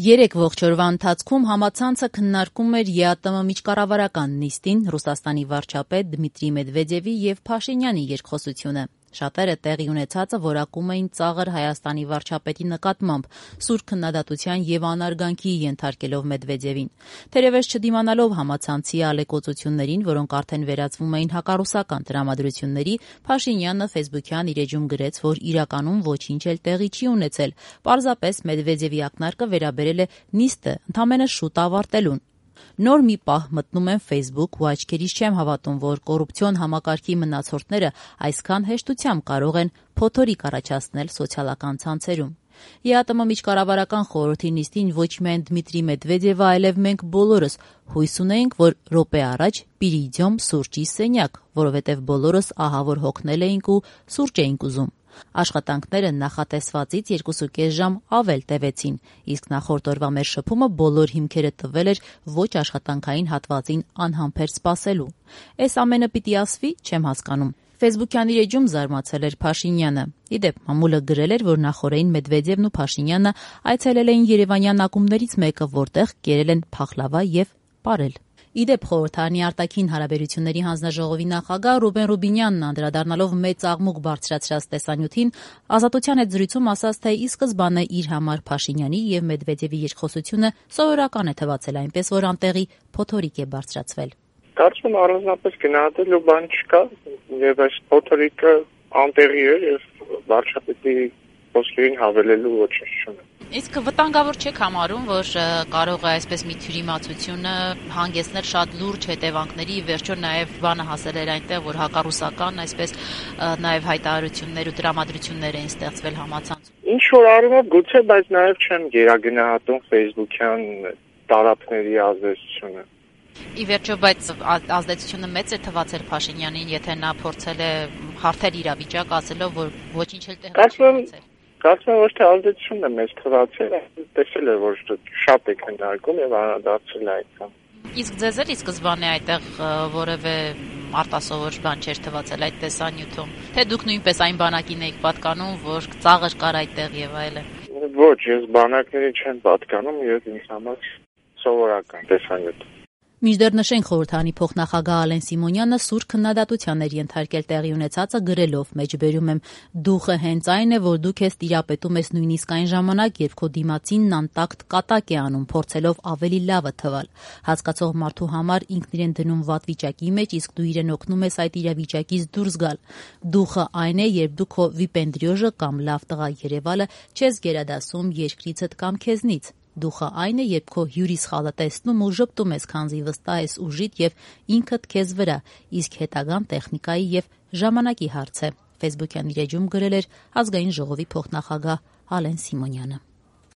Երեք ողջ օրվա ընթացքում համացանցը քննարկում էր ԵԱՏՄ միջկառավարական նիստին, Ռուսաստանի վարչապետ Դմիտրի Մեդվեդևի եւ Փաշինյանի երկխոսությունը։ Շատերը տեղի ունեցածը որակում էին ծաղր Հայաստանի վարչապետի նկատմամբ, սուր քննադատության եւ անարգանքի ենթարկելով Մեդվեդևին։ Թերևս չդիմանալով համացանցի ալեկոծություններին, որոնք արդեն վերածվում էին հակառուսական տրամադրությունների, Փաշինյանը ֆեյսբուքյան իր էջում գրեց, որ իրականում ոչինչ էլ տեղի չի ունեցել, պարզապես Մեդվեդևի ակնարկը վերաբերել է նիստը ընդամենը շուտ ավարտելուն։ Նոր մի պահ մտնում եմ Facebook ու աչքերիս չեմ հավատում, որ կոռուպցիոն համակարգի մնացորդները այսքան հեշտությամբ կարող են փոթորիկ առաջացնել սոցիալական ցանցերում։ ԵԱՏՄ միջկառավարական խորհրդի նիստին ոչ միայն Դմիտրի Մեդվեդևը, այլև մենք բոլորս հույս ունեինք, որ րոպե առաջ պիրիդյոմ սուրճի սենյակ, որովհետև բոլորս ահավոր հոգնել էինք ու սուրճ էինք ուզում։ Աշխատանքները նախատեսվածից 2.5 ժամ ավել տևեցին, իսկ նախորդ օրվա մեր շփումը բոլոր հիմքերը տվել էր ոչ աշխատանքային հատվածին անհամբեր սպասելու։ Էս ամենը պիտի ասվի, չեմ հասկանում։ Ֆեյսբուքյան իր էջում զարմացել էր Փաշինյանը։ Իդեպ, մամուլը գրել էր, որ նախորդին Մեդվեդևն ու Փաշինյանը այցելել էին երևանյան ակումբներից մեկը, որտեղ կերել են փախլավա եւ պարել։ Իդեպ խորհրդարանի արտաքին հարաբերությունների հանձնաժողովի նախագահ Ռուբեն Ռուբինյանն անդրադառնալով մեծ աղմուկ բարձրացրած տեսանյութին, Ազատության հետ զրույցում ասաց, թե ի սկզբանե իր համար Փաշինյանի եւ Մեդվեդևի երկխոսությունը սովորական է թվացել, այնպես որ անտեղի փոթորիկ է բարձրացվել։ Կարծում եմ առանձնապես գնահատելու բան չկա եւ այս փոթորիկը անտեղի է եւ վարչապետի խոսքերին հավելելու ոչինչ չունի։ Իսկ վտանգավոր չեք համարում, որ կարող է այսպես մի թյուրիմացությունը հանգեցնել շատ լուրջ հետևանքների, վերջո նաև բանը հասել էր այնտեղ, որ հակառուսական այսպես նաև հայտարարություններ ու տրամադրություններ էին ստեղծվել համացանցում։ Ինչ որ առումով գուցե, բայց նաև չեմ գերագնահատում ֆեյսբուքյան տարափների ազդեցությունը։ Ի վերջո, բայց ազդեցությունը մեծ է թվացել Փաշինյանին, եթե նա փորձել է հարթել իրավիճակ, ասելով, որ ոչինչ էլ տեղի չի ունեցել։ Կարծում եմ, ոչ թե ազդեցությունն է մեզ թվացել, տեսել է, որ շատ է քննարկում եւ անդրադարձել այդքան։ Իսկ ձեզ էլ ի սկզբանե այդտեղ որևէ արտասովոր բան չէր թվացել այդ տեսանյութում, թե դուք նույնպես այն բանակին եք պատկանում, որ ծաղր կար այդտեղ եւ այլն։ Ոչ, ես բանակների չեմ պատկանում եւ ինձ համար սովորական տեսանյութ։ Մինչդեռ նշենք խորհրդարանի փոխնախագահ Ալեն Սիմոնյանը սուր քննադատության էր ենթարկել տեղի ունեցածը գրելով, մեջբերում եմ, դուխը հենց այն է, որ դու քեզ տիրապետում ես նույնիսկ այն ժամանակ, երբ քո դիմացինն անտակտ կատակ է անում, փորձելով ավելի լավը թվալ։ Հասկացող մարդու համար ինքն իրեն դնում վատ վիճակի մեջ, իսկ դու իրեն օգնում ես այդ իրավիճակից դուրս գալ։ Դուխը այն է, երբ դու քո վիպենդրիոժը կամ լավ տղա երևալը չես գերադասում երկրիցդ կամ քեզնից։ Դուխը այն է, երբ քո հյուրիսխալը տեսնում ու ժպտում ես, քանզի վստահ ես ուժիդ եւ ինքդ քեզ վրա, իսկ հետագան տեխնիկայի եւ ժամանակի հարց է։ Ֆեյսբուքյան իր էջում գրել էր Ազգային ժողովի փոխնախագահ Ալեն Սիմոնյանը։